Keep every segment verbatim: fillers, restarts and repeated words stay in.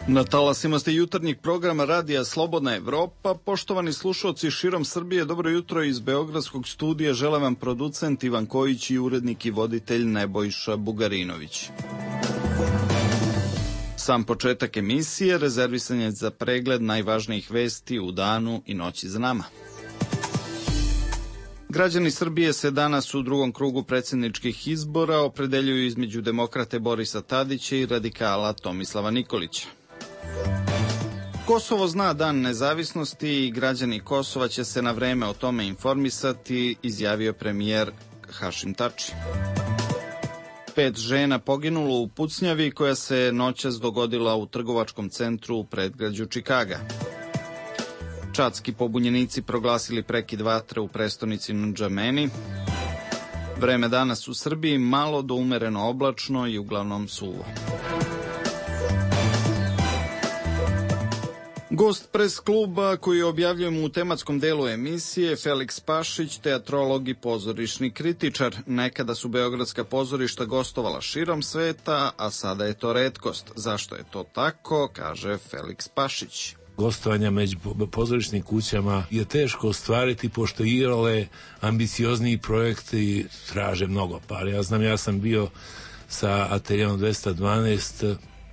Na talasima ste jutarnjeg programa Radija Slobodna Evropa. Poštovani slušalci širom Srbije, dobro jutro iz Beogradskog studija. Žele vam producent Ivan Kojić i urednik i voditelj Nebojša Bugarinović. Sam početak emisije rezervisan je za pregled najvažnijih vesti u danu i noći za nama. Građani Srbije se danas u drugom krugu predsjedničkih izbora opredeljuju između demokrate Borisa Tadića i radikala Tomislava Nikolića. Kosovo zna dan nezavisnosti i građani Kosova će se na vreme o tome informisati, izjavio premijer Hašim Tači. Pet žena poginulo u pucnjavi koja se noćas dogodila u trgovačkom centru u predgrađu Čikaga. Čadski pobunjenici proglasili prekid vatre u prestonici Ndžameni. Vreme danas u Srbiji malo do umereno oblačno i uglavnom suvo. Gost pres kluba koji objavljujemo u tematskom delu emisije, Feliks Pašić, teatrolog i pozorišni kritičar. Nekada su beogradska pozorišta gostovala širom sveta, a sada je to retkost. Zašto je to tako, kaže Feliks Pašić. Gostovanja među pozorišnim kućama je teško ostvariti, pošto igrale ambiciozniji projekti traže mnogo para. Ja znam, ja sam bio sa Ateljeom dvesta dvanaest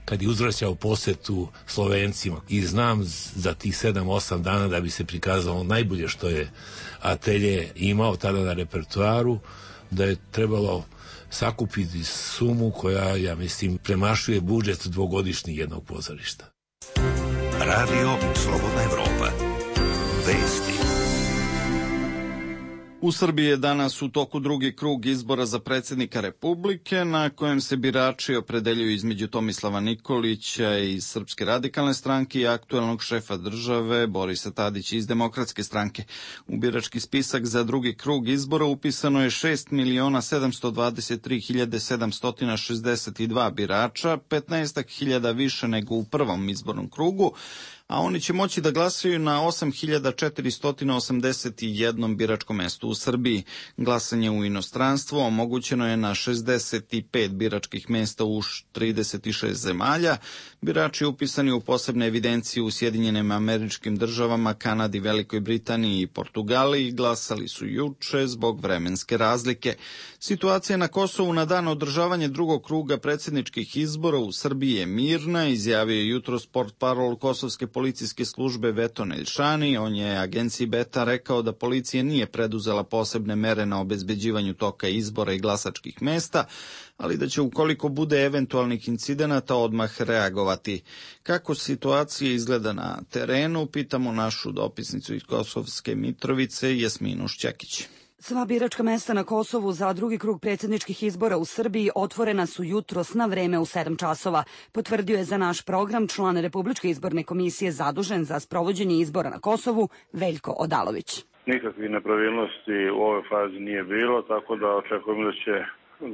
kad je uzvraćao posetu Slovencima i znam za tih sedam osam dana da bi se prikazalo najbolje što je Atelje imao tada na repertoaru, da je trebalo sakupiti sumu koja, ja mislim, premašuje budžet dvogodišnji jednog pozorišta. Radio Slobodna Evropa. Vesti. U Srbiji je danas u toku drugi krug izbora za predsjednika Republike, na kojem se birači opredeljuju između Tomislava Nikolića iz Srpske radikalne stranke i aktuelnog šefa države Borisa Tadića iz Demokratske stranke. U birački spisak za drugi krug izbora upisano je šest miliona sedamsto dvadeset tri hiljade sedamsto šezdeset dva birača, petnaest hiljada više nego u prvom izbornom krugu, a oni će moći da glasaju na osam hiljada četiristo osamdeset jedan biračkom mestu u Srbiji. Glasanje u inostranstvu omogućeno je na šezdeset pet biračkih mesta u trideset šest zemalja. Birači upisani u posebne evidencije u Sjedinjenim Američkim Državama, Kanadi, Velikoj Britaniji i Portugaliji glasali su juče zbog vremenske razlike. Situacija na Kosovu na dan održavanja drugog kruga predsjedničkih izbora u Srbiji je mirna, izjavio je jutros portparol kosovske policijske službe Veto Neljšani. On je agenciji Beta rekao da policija nije preduzela posebne mere na obezbeđivanju toka izbora i glasačkih mesta, ali da će ukoliko bude eventualnih incidenata odmah reagovati. Kako situacija izgleda na terenu, pitamo našu dopisnicu iz Kosovske Mitrovice, Jasminu Šćekić. Sva biračka mesta na Kosovu za drugi krug predsjedničkih izbora u Srbiji otvorena su jutros na vreme u sedam časova. Potvrdio je za naš program član Republičke izborne komisije zadužen za sprovođenje izbora na Kosovu, Veljko Odalović. Nikakvih nepravilnosti u ovoj fazi nije bilo, tako da očekujemo da će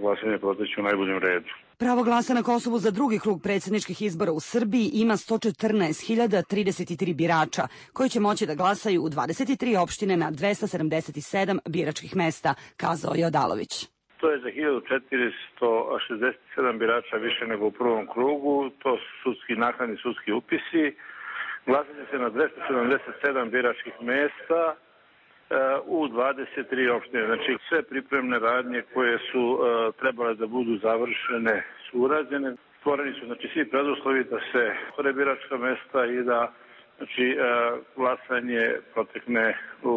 glasanje proteći u najboljem redu. Pravo glasa na Kosovu za drugi krug predsjedničkih izbora u Srbiji ima sto četrnaest hiljada trideset tri birača, koji će moći da glasaju u dvadeset tri opštine na dvesta sedamdeset sedam biračkih mesta, kazao je Odalović. To je za hiljadu četiristo šezdeset sedam birača više nego u prvom krugu, to su sudski naknadni sudski upisi. Glasanje se na dvesta sedamdeset sedam biračkih mesta u dvadeset tri opštine. Znači sve pripremne radnje koje su uh, trebale da budu završene su urađene. Stvoreni su znači svi preduslovi da se otvore biračka mesta i da znači uh, glasanje protekne u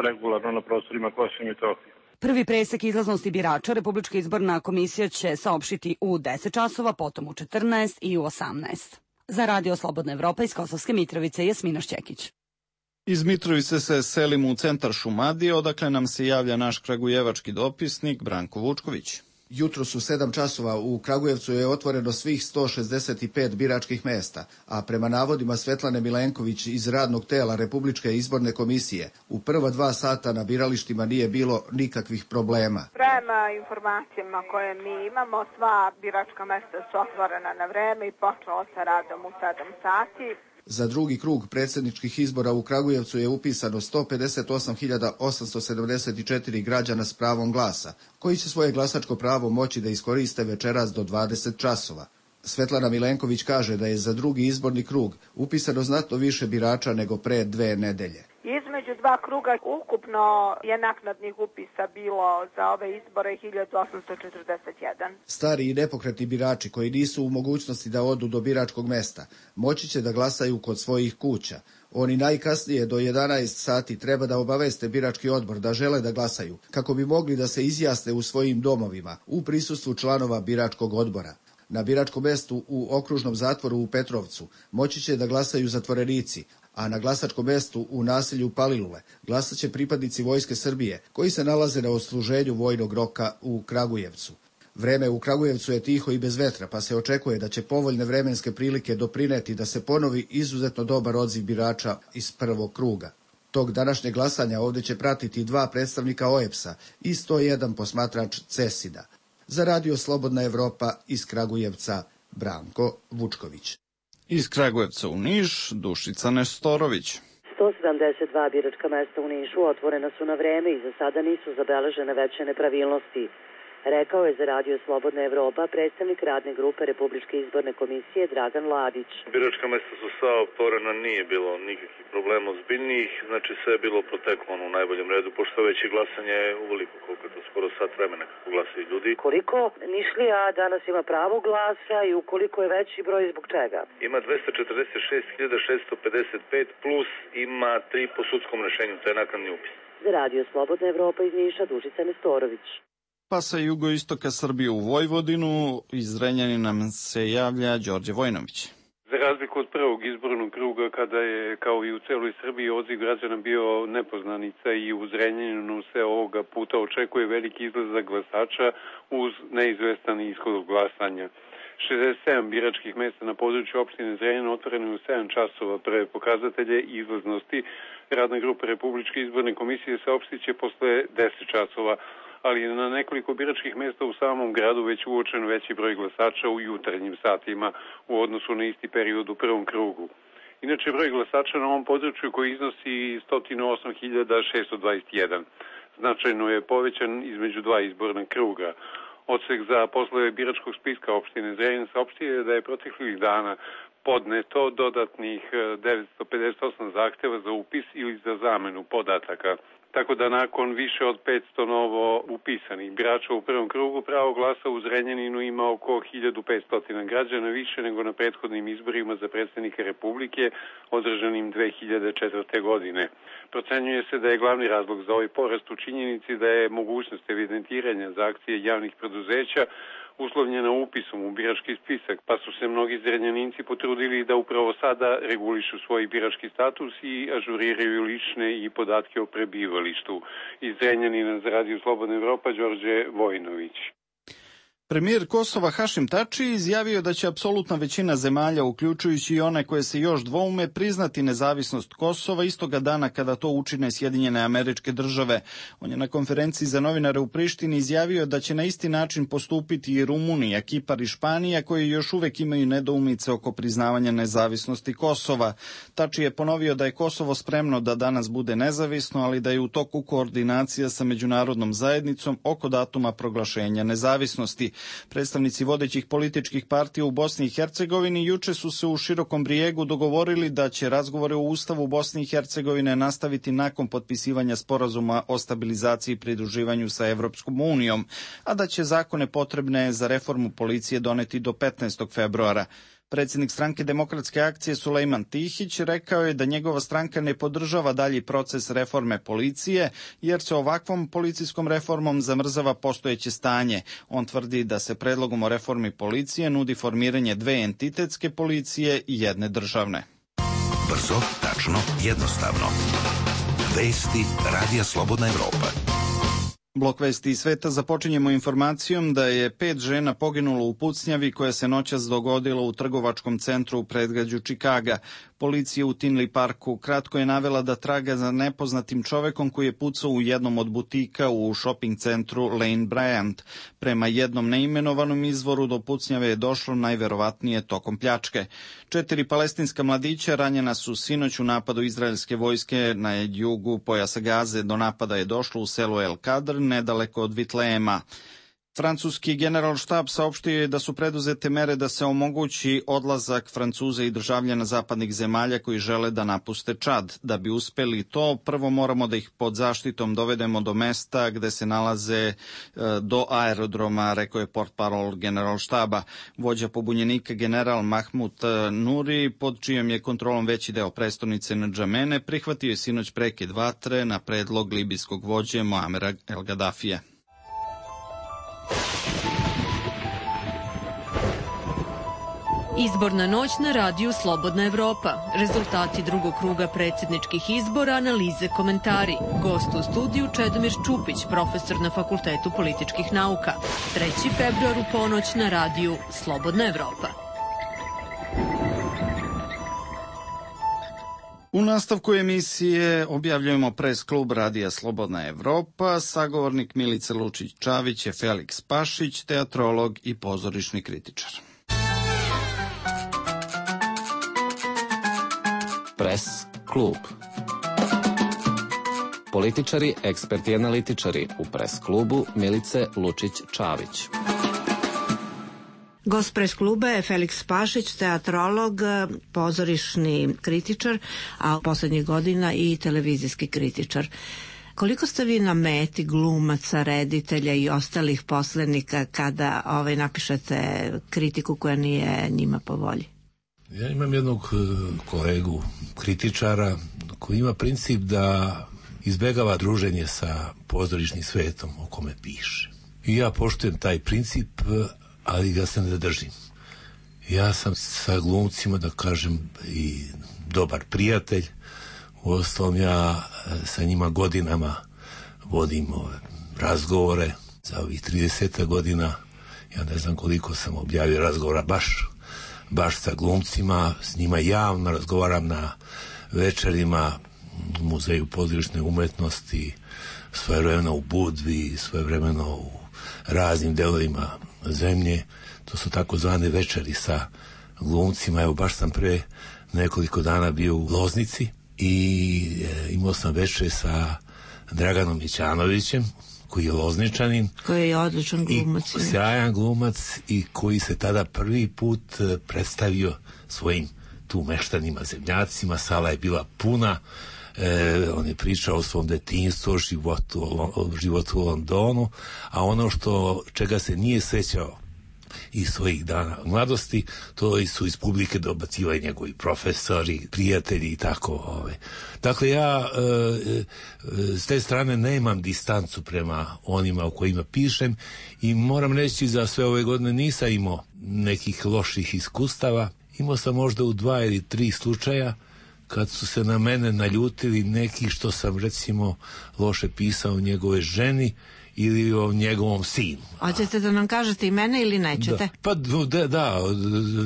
regularno na prostorima Kosova i Metohije. Prvi presek izlaznosti birača Republička izborna komisija će saopštiti u deset časova, potom u četrnaest i u osamnaest. Za Radio Slobodna Evropa iz Kosovske Mitrovice, Jasmina Šćekić. Iz Mitrovice se selimo u centar Šumadije, odakle nam se javlja naš kragujevački dopisnik Branko Vučković. Jutros u sedam časova u Kragujevcu je otvoreno svih sto šezdeset pet biračkih mesta, a prema navodima Svetlane Milenković iz radnog tela Republičke izborne komisije, u prva dva sata na biralištima nije bilo nikakvih problema. Prema informacijama koje mi imamo, sva biračka mesta su otvorena na vreme i počelo sa radom u sedam sati. Za drugi krug predsjedničkih izbora u Kragujevcu je upisano sto pedeset osam hiljada osamsto sedamdeset četiri građana s pravom glasa, koji će svoje glasačko pravo moći da iskoriste večeras do dvadeset časova. Svetlana Milenković kaže da je za drugi izborni krug upisano znatno više birača nego pre dve nedelje. Između dva kruga ukupno je naknadnih upisa bilo za ove izbore hiljadu osamsto četrdeset jedan. Stari i nepokretni birači koji nisu u mogućnosti da odu do biračkog mesta moći će da glasaju kod svojih kuća. Oni najkasnije do jedanaest sati treba da obaveste birački odbor da žele da glasaju, kako bi mogli da se izjasne u svojim domovima u prisustvu članova biračkog odbora. Na biračkom mestu u okružnom zatvoru u Petrovcu moći će da glasaju zatvorenici, a na glasačkom mestu u naselju Palilule glasat će pripadnici Vojske Srbije koji se nalaze na odsluženju vojnog roka u Kragujevcu. Vreme u Kragujevcu je tiho i bez vetra, pa se očekuje da će povoljne vremenske prilike doprineti da se ponovi izuzetno dobar odziv birača iz prvog kruga. Tog današnjeg glasanja ovdje će pratiti dva predstavnika O E P S-a i sto jedan posmatrač CESID-a. Za Radio Slobodna Evropa iz Kragujevca, Branko Vučković. Iz Kragujevca u Niš, Dušica Nestorović. sto sedamdeset dva biračka mesta u Nišu otvorena su na vreme i za sada nisu zabeležene veće nepravilnosti. Rekao je za Radio Slobodna Evropa predstavnik radne grupe Republičke izborne komisije Dragan Ladić. Biračka mesta su sva otvorena, nije bilo nikakvih problema ozbiljnijih, znači sve je bilo proteklo u najboljem redu, pošto već je glasanje uveliko, koliko je to skoro sat vremena kako glasaju ljudi. Koliko Nišlija danas ima pravo glasa i ukoliko je veći broj zbog čega? Ima dvesta četrdeset šest hiljada šesto pedeset pet plus ima tri po sudskom rešenju, to je naknadni upis. Za Radio Slobodna Evropa iz Niša, Dušica Nestorović. Pa sa jugoistoka Srbije u Vojvodinu, iz Zrenjanina nam se javlja Đorđe Vojnović. Za razliku od prvog izbornog kruga, kada je, kao i u celoj Srbiji, odziv građana bio nepoznanica i u Zrenjaninu se ovoga puta očekuje veliki izlazak glasača uz neizvestan ishod glasanja. šezdeset sedam biračkih mesta na području opštine Zrenjanin otvoreno u sedam časova. Prve pokazatelje izlaznosti radna grupa Republičke izborne komisije saopštiće posle deset časova, ali na nekoliko biračkih mesta u samom gradu već uočen veći broj glasača u jutarnjim satima u odnosu na isti period u prvom krugu. Inače, broj glasača na ovom području koji iznosi sto osam hiljada šesto dvadeset jedan. Značajno je povećan između dva izborna kruga. Odsek za poslove biračkog spiska opštine Zrenjanin saopštio je da je proteklih dana podneto dodatnih devetsto pedeset osam zahteva za upis ili za zamenu podataka. Tako da nakon više od petsto novo upisanih birača u prvom krugu pravo glasa u Zrenjaninu ima oko hiljadu petsto građana više nego na prethodnim izborima za predsjednika Republike održanim dve hiljade četvrte. godine. Procenjuje se da je glavni razlog za ovaj porast u činjenici da je mogućnost evidentiranja za akcije javnih preduzeća uslovljena upisom u birački spisak, pa su se mnogi Zrenjaninci potrudili da upravo sada regulišu svoj birački status i ažuriraju lične i podatke o prebivalištu. Iz Zrenjanina za Radio Slobodna Evropa, Đorđe Vojnović. Premijer Kosova Hašim Tači izjavio da će apsolutna većina zemalja, uključujući i one koje se još dvoume, priznati nezavisnost Kosova istoga dana kada to učine Sjedinjene Američke Države. On je na konferenciji za novinare u Prištini izjavio da će na isti način postupiti i Rumunija, Kipar i Španija, koji još uvek imaju nedoumice oko priznavanja nezavisnosti Kosova. Tači je ponovio da je Kosovo spremno da danas bude nezavisno, ali da je u toku koordinacija sa međunarodnom zajednicom oko datuma proglašenja nezavisnosti. Predstavnici vodećih političkih partija u Bosni i Hercegovini juče su se u Širokom Brijegu dogovorili da će razgovore o Ustavu Bosne i Hercegovine nastaviti nakon potpisivanja sporazuma o stabilizaciji i pridruživanju sa Evropskom unijom, a da će zakone potrebne za reformu policije doneti do petnaestog februara. Predsjednik stranke Demokratske akcije Sulejman Tihić rekao je da njegova stranka ne podržava dalji proces reforme policije, jer se ovakvom policijskom reformom zamrzava postojeće stanje. On tvrdi da se predlogom o reformi policije nudi formiranje dve entitetske policije i jedne državne. Brzo, tačno, jednostavno. Vesti Radija Slobodna Evropa. Blok vesti iz sveta započinjemo informacijom da je pet žena poginulo u pucnjavi koja se noćas dogodila u trgovačkom centru u predgrađu Čikaga. Policija u Tinley Parku kratko je navela da traga za nepoznatim čovekom koji je pucao u jednom od butika u shopping centru Lane Bryant. Prema jednom neimenovanom izvoru do pucnjave je došlo najverovatnije tokom pljačke. Četiri palestinska mladića ranjena su sinoć u napadu izraelske vojske na jugu pojasa Gaze. Do napada je došlo u selu El Kadr, nedaleko od Vitlejema. Francuski generalštab saopštio je da su preduzete mere da se omogući odlazak Francuza i državljana zapadnih zemalja koji žele da napuste Čad. Da bi uspeli to, prvo moramo da ih pod zaštitom dovedemo do mesta gde se nalaze do aerodroma, rekao je portparol generalštaba. Vođa pobunjenika general Mahmud Nuri, pod čijom je kontrolom veći deo prestonice Ndžamene, prihvatio je sinoć prekid vatre na predlog libijskog vođe Muamera El Gadafija. Izborna noć na radiju Slobodna Evropa. Rezultati drugog kruga predsjedničkih izbora, analize, komentari. Gost u studiju Čedomir Čupić, profesor na Fakultetu političkih nauka. treći februar u ponoć na radiju Slobodna Evropa. U nastavku emisije objavljujemo pres klub radija Slobodna Evropa. Sagovornik Milice Lučić-Čavić je Feliks Pašić, teatrolog i pozorišni kritičar. Pres klub. Političari, eksperti i analitičari u pres klubu Milice Lučić-Čavić. Gost pres kluba je Feliks Pašić, teatrolog, pozorišni kritičar, a poslednjih godina i televizijski kritičar. Koliko ste vi na meti glumaca, reditelja i ostalih poslenika kada ovaj, napišete kritiku koja nije njima po volji? Ja imam jednog kolegu kritičara koji ima princip da izbegava druženje sa pozorišnim svetom o kome piše. I ja poštujem taj princip, ali ga se ne držim. Ja sam sa glumcima, da kažem, i dobar prijatelj. Uostalom, ja sa njima godinama vodim ove razgovore. Za ovih trideset godina, ja ne znam koliko sam objavio razgovora baš baš sa glumcima, s njima javno razgovaram na večerima u Muzeju pozorišne umetnosti, svojevremeno u Budvi, svojevremeno u raznim delovima zemlje. To su takozvane večeri sa glumcima. Evo, baš sam pre nekoliko dana bio u Loznici i e, imao sam večer sa Draganom Mićanovićem, koji je Lozničanin. Koji je odličan glumac. I sjajan glumac i koji se tada prvi put predstavio svojim tu meštanima, zemljacima. Sala je bila puna. E, on je pričao o svom detinjstvu, o životu, o životu u Londonu, a ono što čega se nije sećao i svojih dana mladosti, to su iz publike dobacivali njegovi profesori, prijatelji i tako. Ove. Dakle, ja e, e, s te strane nemam distancu prema onima o kojima pišem i moram reći za sve ove godine nisam imao nekih loših iskustava. Imao sam možda u dva ili tri slučaja kad su se na mene naljutili neki što sam recimo loše pisao o njegove ženi ili o njegovom sinu. Hoćete da nam kažete imena ili nećete? Da. Pa da, da,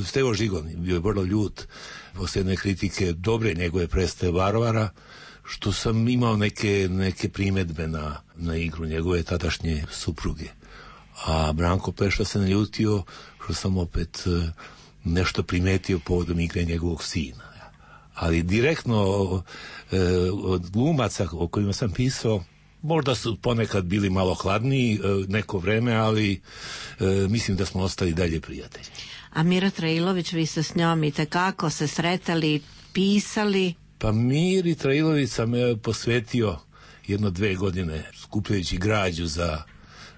Stevo Žigon bio je vrlo ljut posle jedne kritike dobre njegove predstave Varvara, što sam imao neke, neke primedbe na, na igru njegove tadašnje supruge. A Branko Pleša se naljutio što sam opet nešto primetio povodom igre njegovog sina. Ali direktno od glumaca o kojima sam pisao, možda su ponekad bili malo hladniji neko vreme, ali e, mislim da smo ostali dalje prijatelji. A Mira Trailović, vi ste s njom i tekako se sretali, pisali? Pa Miri Trailović sam posvetio jedno dve godine skupljajući građu za,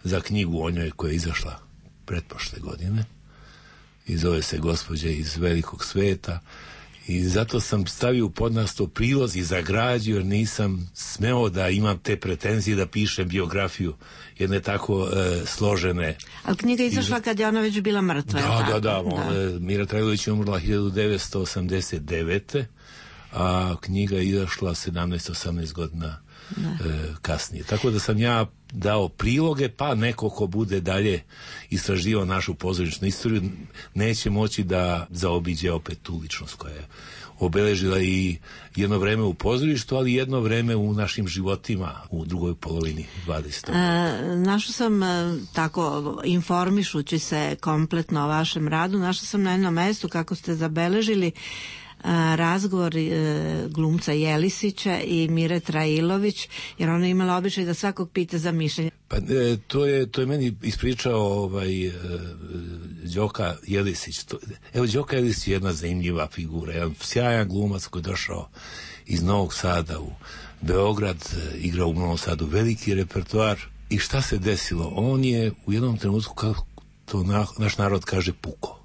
za knjigu o njoj koja je izašla pretprošle godine. I zove se Gospođa iz velikog sveta. I zato sam stavio u podnaslov prilozi za građu, jer nisam smeo da imam te pretenzije da pišem biografiju jedne tako e, složene. Ali knjiga izašla kad je ona već bila mrtva. Da, da, da, da. Mira Trailović je umrla hiljadu devetsto osamdeset devete. a knjiga je izašla sedamnaest osamnaest godina e, kasnije. Tako da sam ja dao priloge, pa neko ko bude dalje istraživao našu pozorišnu istoriju neće moći da zaobiđe opet tu ličnost koja je obeležila i jedno vreme u pozorištu, ali jedno vreme u našim životima u drugoj polovini dvadesetog E, našla sam e, tako informišući se kompletno o vašem radu, našla sam na jednom mestu kako ste zabeležili razgovor glumca Jelisića i Mire Trailović, jer ona je imala običaj da svakog pita za mišljenje. Pa to je, to je meni ispričao ovaj, Đoka Jelisić. To, evo, Đoka Jelisić je jedna zanimljiva figura, jedan sjajan glumac koji je došao iz Novog Sada u Beograd, igrao u Novom Sadu veliki repertoar. I šta se desilo? On je u jednom trenutku, kako to na, naš narod kaže, puko.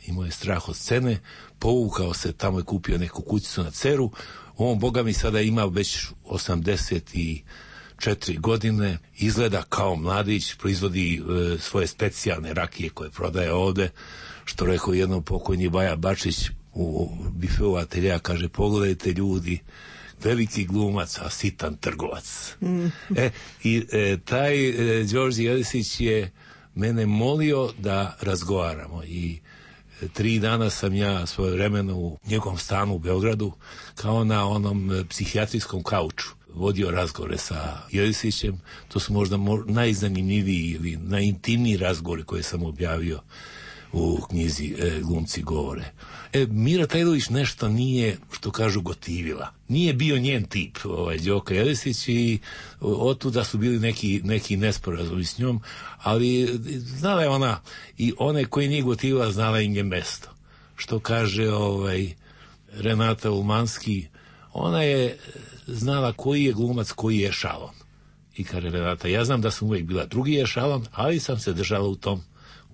Imao je strah od scene, povukao se, tamo je kupio neku kućicu na Ceru. On, boga mi, sada ima već osamdeset četiri godine, izgleda kao mladić, proizvodi e, svoje specijalne rakije koje prodaje ovde, što rekao jednom pokojni Baja Bačić u bifeu ateljeja, kaže, pogledajte ljudi, veliki glumac, a sitan trgovac. Mm. E, i e, taj e, Đorđe Jelisić je mene molio da razgovaramo i e, tri dana sam ja svoje vremeno u njegovom stanu u Beogradu kao na onom e, psihijatrijskom kauču vodio razgovore sa Jelisićem. To su možda mo- najzanimljiviji ili najintimniji razgovori koje sam objavio u knjizi e, Glumci govore. E, Mira Trailović nešto nije, što kažu, gotivila. Nije bio njen tip, ovaj, Đoka Jelisić, i otuda su bili neki, neki nesporazumi s njom, ali znala je ona, i one koji nije gotivila, znala im je mesto. Što kaže ovaj, Renata Ulmanski, ona je znala koji je glumac, koji je šalon. I kaže Renata, ja znam da sam uvijek bila drugi je šalon, ali sam se držala u tom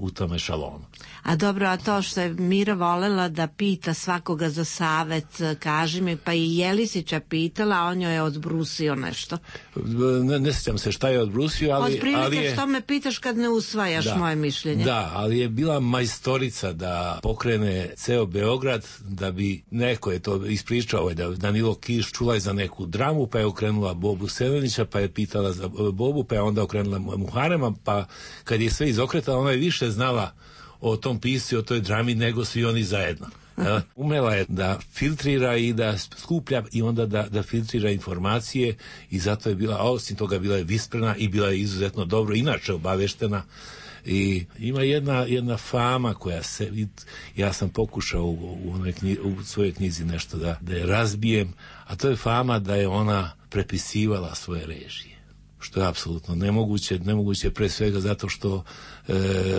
u tome šalonu. A dobro, a to što je Mira volela da pita svakoga za savet, kaži mi, pa i Jelisića pitala, a on joj je odbrusio nešto. Ne, ne sjećam se šta je odbrusio, ali... Od prilike ali je, što me pitaš kad ne usvajaš da, moje mišljenje. Da, ali je bila majstorica da pokrene ceo Beograd, da bi neko je to ispričao, da Danilo Kiš čula je za neku dramu, pa je okrenula Bobu Selenića, pa je pitala za Bobu, pa je onda okrenula Muharema, pa kad je sve izokretala, ona je više znala o tom pisci, o toj drami, nego svi oni zajedno. Ja, umela je da filtrira i da skuplja i onda da, da filtrira informacije, i zato je bila, a osim toga bila je visprena i bila je izuzetno dobro inače obaveštena. I ima jedna, jedna fama koja se, ja sam pokušao u, u, knji, u svojoj knjizi nešto da, da je razbijem, a to je fama da je ona prepisivala svoje režije, što je apsolutno nemoguće, nemoguće pre svega zato što e,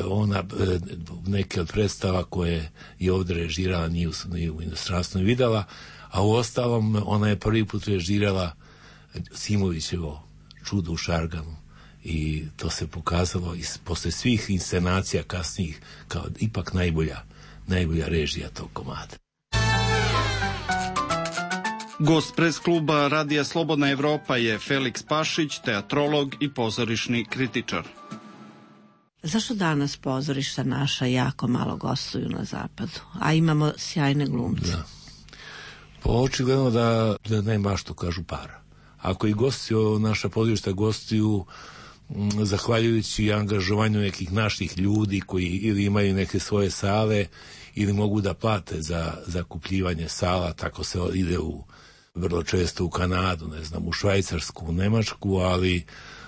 ona e, neke od predstava koje je ovdje režirala nije u, nije u inostranstvu videla, a u ostalom ona je prvi put režirala Simovićevo Čudo u Šarganu, i to se pokazalo i posle svih inscenacija kasnijih kao ipak najbolja, najbolja režija tog komada. Gost pres kluba Radija Slobodna Evropa je Feliks Pašić, teatrolog i pozorišni kritičar. Zašto danas pozorišta naša jako malo gostuju na zapadu, a imamo sjajne glumce? Da. Pa očigledno da, da nema što kažu para. Ako i gostuju, naša pozorišta gostuju m, zahvaljujući angažovanju nekih naših ljudi koji ili imaju neke svoje sale ili mogu da plate za zakupljivanje sala, tako se ide u vrlo često u Kanadu, ne znam, u Švajcarsku, u Nemačku, ali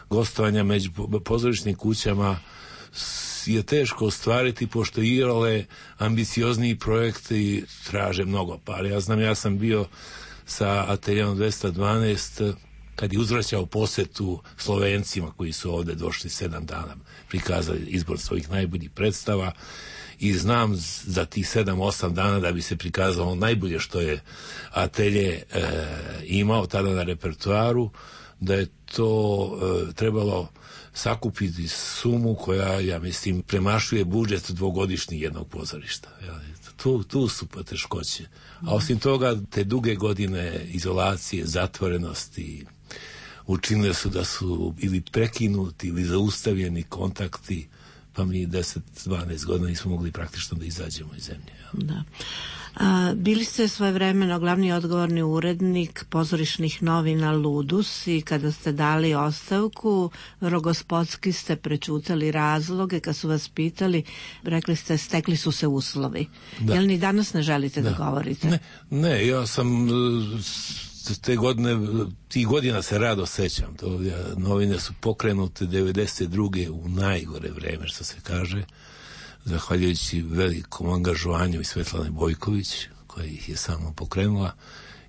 gostovanja među pozorišnim kućama je teško ostvariti, pošto igrale ambiciozniji projekti traže mnogo para. Ja znam, ja sam bio sa Ateljeom dvesta dvanaest kad je uzvraćao posetu Slovencima koji su ovde došli sedam dana, prikazali izbor svojih najboljih predstava, i znam za tih sedam osam dana da bi se prikazalo najbolje što je Atelje e, imao tada na repertoaru, da je to e, trebalo sakupiti sumu koja, ja mislim, premašuje budžet dvogodišnji jednog pozorišta. Ja, tu, tu su poteškoće. A osim toga, te duge godine izolacije, zatvorenosti učinile su da su ili prekinuti ili zaustavljeni kontakti, pa mi deset dvanaest godina nismo mogli praktično da izađemo iz zemlje. Ja. Da. A, bili ste svojevremeno glavni odgovorni urednik pozorišnih novina Ludus, i kada ste dali ostavku, rogospodski ste prečutali razloge. Kad su vas pitali, rekli ste stekli su se uslovi. Da. Jel ni danas ne želite da, da govorite? Ne, ne, ja sam te godine, tih godina se rado sećam. To, ja, novine su pokrenute devedeset druge u najgore vreme, što se kaže, zahvaljujući velikom angažovanju i Svetlane Bojković, koja ih je samo pokrenula.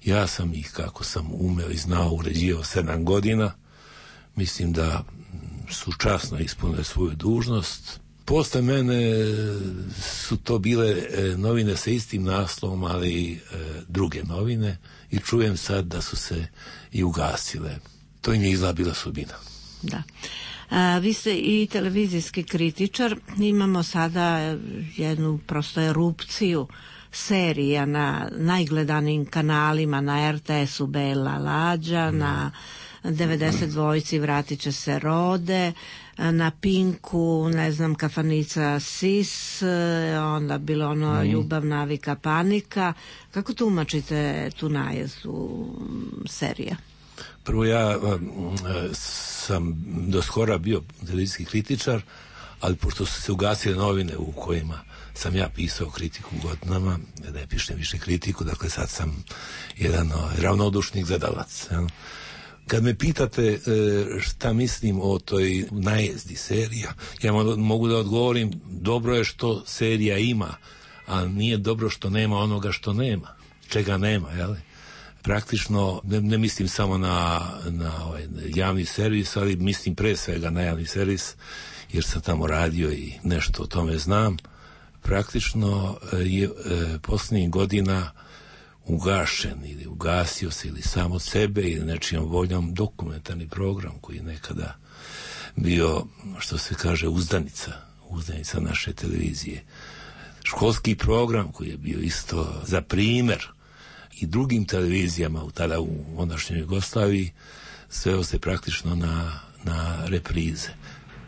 Ja sam ih, kako sam umeo i znao, uređivao sedam godina. Mislim da su časno ispunile svoju dužnost. Posle mene su to bile novine sa istim naslovom, ali druge novine, i čujem sad da su se i ugasile. To im je izgleda bila sudbina. Da. A, vi ste i televizijski kritičar. Imamo sada jednu prosto erupciju serija na najgledanijim kanalima, na er te es u Bela Lađa, mm. na devedeset dvojci Vratit će se Rode, na Pinku, ne znam, Kafanica Sis, onda bilo ono mm. Ljubav, navika, panika. Kako tumačite tu najezdu serija? Prvo, ja sam do skora bio televizijski kritičar, ali pošto su se ugasile novine u kojima sam ja pisao kritiku godinama, ne pišem više kritiku, dakle sad sam jedan no, ravnodušni gledalac. Ja. Kad me pitate šta mislim o toj najezdi serija, ja mogu da odgovorim, dobro je što serija ima, a nije dobro što nema onoga što nema, čega nema, jel? Praktično, ne, ne mislim samo na, na ovaj javni servis, ali mislim pre svega na javni servis, jer sam tamo radio i nešto o tome znam. Praktično je e, posljednjih godina ugašen ili ugasio se ili sam od sebe ili nečijom voljom dokumentarni program koji je nekada bio, što se kaže, uzdanica, uzdanica naše televizije. Školski program koji je bio isto za primjer i drugim televizijama u tada u ondašnjoj Jugoslaviji, sveo se praktično na, na reprize.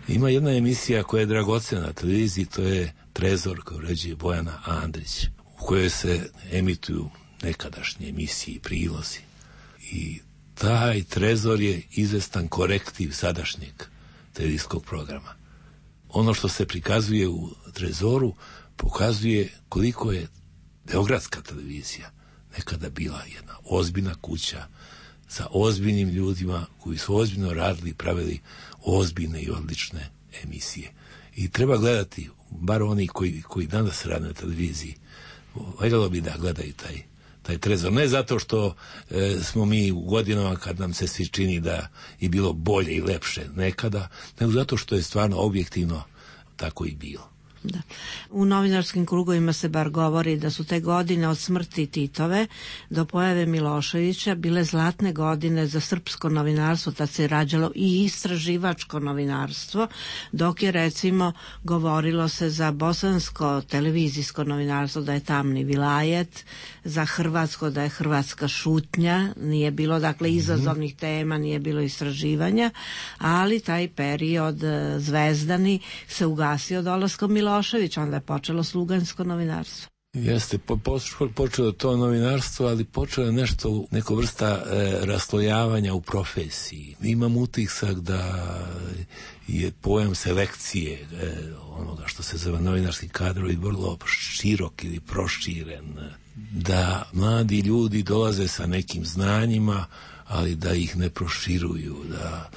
Ima jedna emisija koja je dragocena na televiziji, to je Trezor, koju uređuje Bojana Andrić, u kojoj se emituju nekadašnje emisije i prilozi. I taj Trezor je izvestan korektiv sadašnjeg televizijskog programa. Ono što se prikazuje u Trezoru pokazuje koliko je beogradska televizija nekada bila jedna ozbiljna kuća sa ozbiljnim ljudima koji su ozbiljno radili i pravili ozbiljne i odlične emisije. I treba gledati, bar oni koji, koji danas rade na televiziji, valjalo bi da gledaju taj, taj Trezor. Ne zato što e, smo mi u godinama kad nam se svi čini da je bilo bolje i lepše nekada, nego zato što je stvarno objektivno tako i bilo. Da. U novinarskim krugovima se bar govori da su te godine od smrti Titove do pojave Miloševića bile zlatne godine za srpsko novinarstvo, tad se rađalo i istraživačko novinarstvo, dok je recimo govorilo se za bosansko televizijsko novinarstvo da je tamni vilajet, za hrvatsko da je hrvatska šutnja, nije bilo dakle izazovnih tema, nije bilo istraživanja, ali taj period zvezdani se ugasio dolaskom Miloševića. Onda je počelo slugansko novinarstvo. Jeste, po, po, počelo to novinarstvo, ali počelo je nešto, neko vrsta e, raslojavanja u profesiji. Imam utisak da je pojam selekcije e, onoga što se zove novinarski kadrovi vrlo širok ili proširen. Da mladi ljudi dolaze sa nekim znanjima, ali da ih ne proširuju, da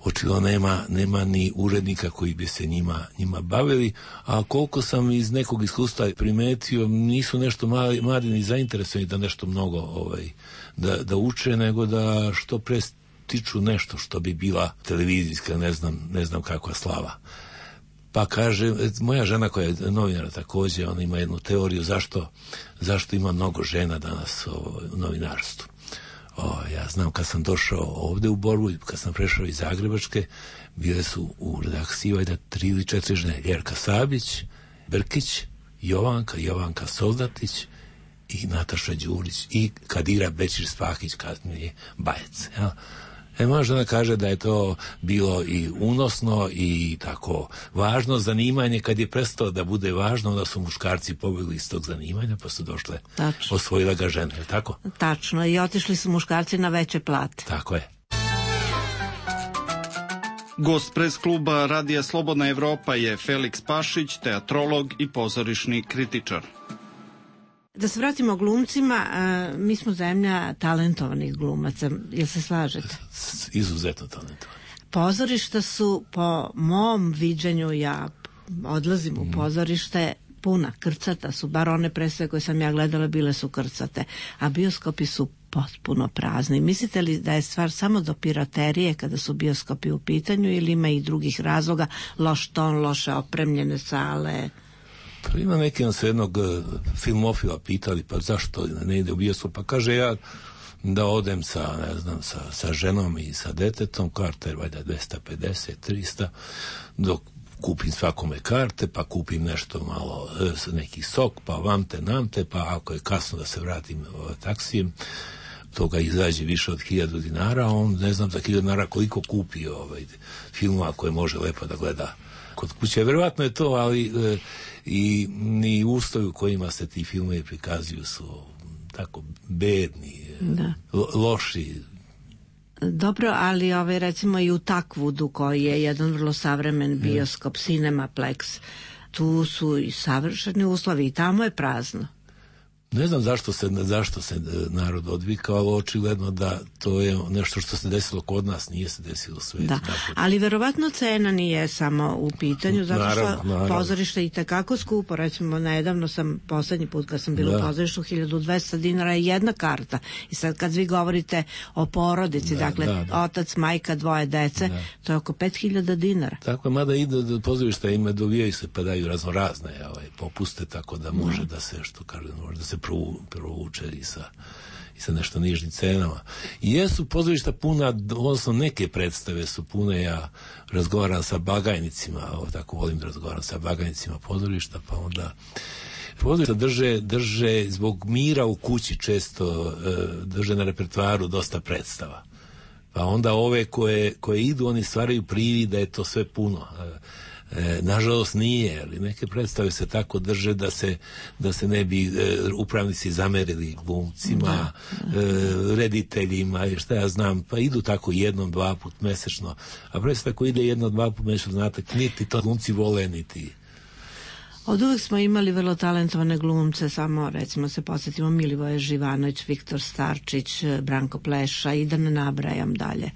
očito nema, nema ni urednika koji bi se njima, njima bavili, a koliko sam iz nekog iskustva primetio, nisu nešto mladi, mladi ni zainteresovani da nešto mnogo ovaj, da, da uče, nego da što pre stiču nešto što bi bila televizijska, ne znam, ne znam kakva slava. Pa kaže, moja žena koja je novinara također, ona ima jednu teoriju zašto, zašto ima mnogo žena danas u novinarstvu. O, ja znam kad sam došao ovde u Borbu, kad sam prešao iz Zagrebačke, bile su u redakciji valjda tri ili četiri žene. Jerka Sabić, Brkić, Jovanka, Jovanka Soldatić i Nataša Đurić i Kadira Bećir-Spahić, kasnije Bajec. Ja. E, moja žena kaže da je to bilo i unosno i tako važno zanimanje. Kad je prestalo da bude važno, onda su muškarci pobegli iz tog zanimanja, pa su došle, tačno, osvojila ga žene, je li tako? Tačno, i otišli su muškarci na veće plate. Tako je. Gost pres kluba Radija Slobodna Evropa je Feliks Pašić, teatrolog i pozorišni kritičar. Da se vratimo glumcima, mi smo zemlja talentovanih glumaca, jel se slažete? Izuzetno talentovani. Pozorišta su, po mom viđenju, ja odlazim u pozorište, puna, krcata su, bar one predstave koje sam ja gledala bile su krcate, a bioskopi su potpuno prazni. Mislite li da je stvar samo do piraterije kada su bioskopi u pitanju ili ima i drugih razloga, loš ton, loše opremljene sale? Pa ima neki nas jednog filmofila pitali, pa zašto ne ide u bioskop, pa kaže ja da odem sa, ne znam, sa, sa ženom i sa detetom, karta je valjda dvesta pedeset, trista, dok kupim svakome karte, pa kupim nešto malo, neki sok, pa vamte, namte, pa ako je kasno da se vratim taksijem, toga izađe više od hiljadu dinara, on ne znam za hiljadu dinara koliko kupi ovaj, filmova koje može lepo da gleda kod kuće. Verovatno je to, ali e, i ni uslovi u kojima se ti filmovi prikazuju su tako bedni, da. Lo, loši. Dobro, ali ovaj, recimo i u Takvudu koji je jedan vrlo savremen bioskop, yeah. Cinemaplex, tu su i savršeni uslovi i tamo je prazno. Ne znam zašto se, zašto se narod odvikao, ali očigledno da to je nešto što se desilo kod nas, nije se desilo u svijetu. Da, ali verovatno cena nije samo u pitanju, zato naravno, što naravno. Pozorište i tekako skupo. Recimo, nedavno sam, poslednji put kad sam bila da. u pozorištu, hiljadu dvesta dinara je jedna karta. I sad kad vi govorite o porodici, da, dakle, da, da. otac, majka, dvoje dece, da. to je oko pet hiljada dinara. Tako je, mada ide do pozorišta, ima dovijaju se pa daju razno razne ovaj, popuste, tako da može da, da se, što kažem, može da se provuče i sa, i sa nešto nižnim cenama. I jesu pozorišta puna, odnosno neke predstave su pune, ja razgovaram sa bagajnicima, tako volim da razgovaram sa bagajnicima pozorišta, pa onda pozorišta drže, drže zbog mira u kući često drže na repertoaru dosta predstava. Pa onda ove koje, koje idu, oni stvaraju privid da je to sve puno. E, nažalost nije, ali neke predstave se tako drže da se, da se ne bi e, upravnici zamerili glumcima, da, da. E, rediteljima i šta ja znam, pa idu tako jednom, dva put mesečno, a predstava ko ide jednom, dva put mesečno, znate, niti to glumci vole, niti... Od uvek smo imali vrlo talentovane glumce, samo recimo se podsjetimo Milivoje Živanović, Viktor Starčić, Branko Pleša i da ne nabrajam dalje.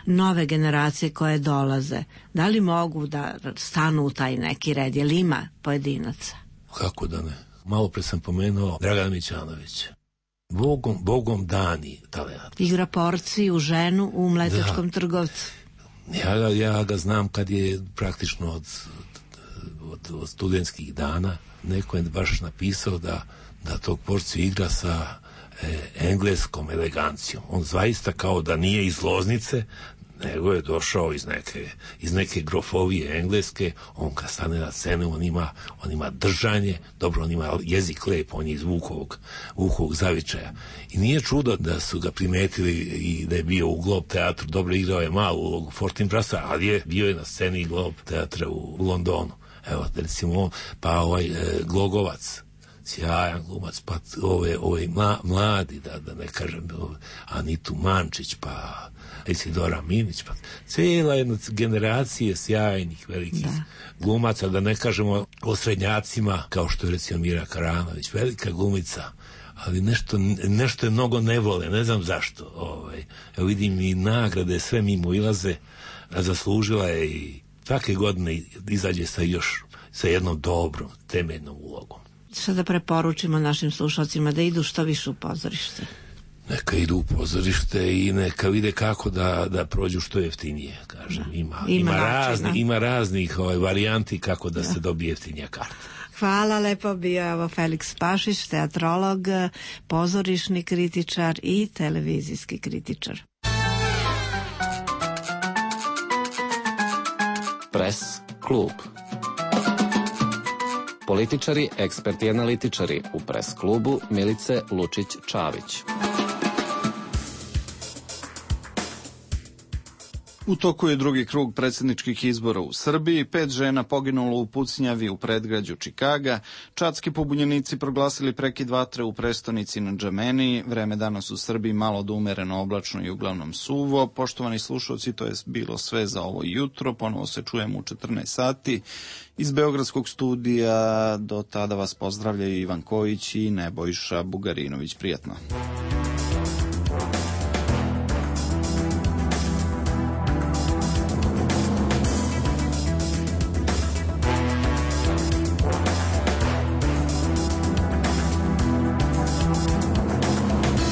Nove generacije koje dolaze, da li mogu da stanu u taj neki red, je li ima pojedinaca? Kako da ne? Malo pre sam pomenuo Dragana Mićanovića. Bogom, Bogom dani talent. Igra porciju, ženu u Mletečkom da. trgovcu. Ja, ja ga znam kad je praktično od, od, od studentskih dana. Neko je baš napisao da, da tog porciju igra sa e, engleskom elegancijom. On zaista kao da nije iz Loznice, nego je došao iz neke, iz neke grofovije engleske. On kad stane na scenu, on ima, on ima držanje, dobro, on ima jezik lep, on je iz Vukovog, Vukovog zavičaja. I nije čudo da su ga primetili i da je bio u Globe teatru, dobro igrao je malu ulogu Fortinbrasa, ali je bio je na sceni Globe teatra u, u Londonu. Evo, recimo, pa ovaj e, Glogovac, sjajan glumac, pa ove, ove mla, mladi, da, da ne kažem, Anitu Mančić, pa Isidora Minić, pa cijela jedna generacija sjajnih velikih da. glumaca, da ne kažemo o srednjacima, kao što je recimo Mira Karanović, velika glumica, ali nešto, nešto je mnogo ne vole, ne znam zašto. Ovaj. Evo vidim i nagrade, sve mimo ilaze, a zaslužila je i svake godine izađe sa još, sa jednom dobrom, temeljnom ulogom. Što da preporučimo našim slušalcima da idu što više u pozorište? Neka idu u pozorište i neka vide kako da, da prođu što jeftinije, kažem. Ima, ima, ima, razni, ima raznih ovaj, varijanti kako da, da se dobije jeftinija karta. Hvala, lepo bio evo Feliks Pašić, teatrolog, pozorišni kritičar i televizijski kritičar. Pres klub. Političari, eksperti i analitičari u Pres klubu Milice Lučić-Čavić. U toku je drugi krug predsjedničkih izbora u Srbiji, pet žena poginulo u pucnjavi u predgrađu Čikaga, čadski pobunjenici proglasili prekid vatre u prestonici na Džameniji, vreme danas u Srbiji malo do umereno oblačno i uglavnom suvo. Poštovani slušalci, to je bilo sve za ovo jutro, ponovo se čujemo u četrnaest sati. Iz Beogradskog studija do tada vas pozdravljaju Ivan Kojić i Nebojša Bugarinović. Prijatno.